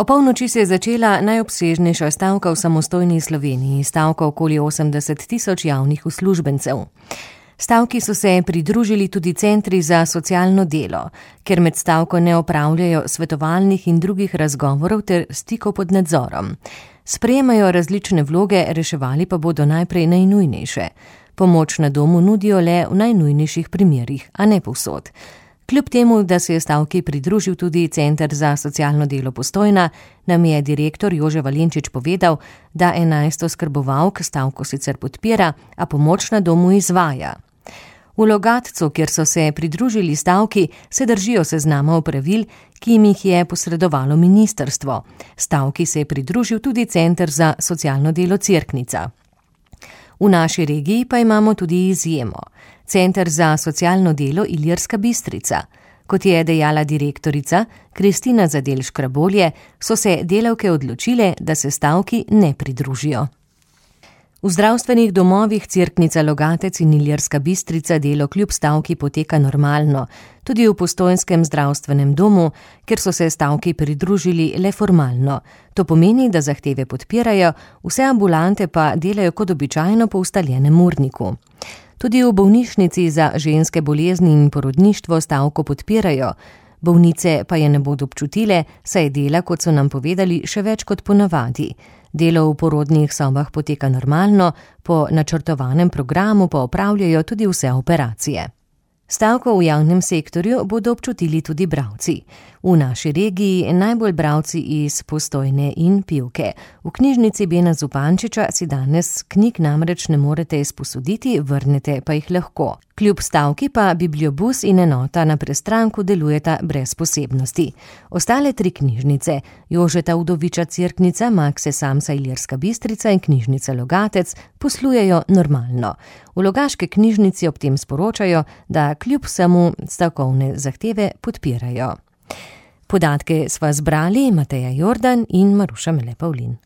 Opolnoči se je začela najobsežnejša stavka v samostojni Sloveniji, stavka okoli 80 tisoč javnih uslužbencev. Stavki so se pridružili tudi centri za socialno delo, ker med stavko ne opravljajo svetovalnih in drugih razgovorov ter stikov pod nadzorom. Sprejemajo različne vloge, reševali pa bodo najprej najnujnejše. Pomoč na domu nudijo le v najnujnejših primerih, a ne povsod. Kljub temu, da se je stavki pridružil tudi Center za socialno delo Postojna, nam je direktor Jože Valenčič povedal, da 11 oskrbovalk stavko sicer podpira, a pomoč na domu izvaja. V Logatcu, kjer so se pridružili stavki, se držijo seznama opravil, ki jim jih je posredovalo ministrstvo. Stavki se je pridružil tudi Center za socialno delo Cerknica. V naši regiji pa imamo tudi izjemo. Center za socialno delo Ilirska Bistrica. Kot je dejala direktorica Kristina Zadelj-Škrabolje, so se delavke odločile, da se stavki ne pridružijo. V zdravstvenih domovih Cerknica, Logatec in Ilirska Bistrica delo kljub stavki poteka normalno, tudi v postojnskem zdravstvenem domu, ker so se stavki pridružili le formalno. To pomeni, da zahteve podpirajo, vse ambulante pa delajo kot običajno po ustaljenem urniku. Tudi v bolnišnici za ženske bolezni in porodništvo stavko podpirajo. Bolnice pa je ne bodo občutile, saj dela, kot so nam povedali, še več kot ponavadi. Delo v porodnih sobah poteka normalno, po načrtovanem programu pa opravljajo tudi vse operacije. Stavko v javnem sektorju bodo občutili tudi bralci. V naši regiji najbolj bralci iz Postojne in Pivke. V knjižnici Bena Zupančiča si danes knjig namreč ne morete izposoditi, vrnete pa jih lahko. Kljub stavki pa bibliobus in enota na Prestranku delujeta brez posebnosti. Ostale 3 knjižnice, Jožeta Udoviča Cerknica, Makse Samsa Ilirska Bistrica in knjižnica Logatec, poslujejo normalno. V logaški knjižnici ob tem sporočajo, da kljub vsemu stavkovne zahteve podpirajo. Podatke sva zbrali Mateja Jordan in Maruša Mele Pavlin.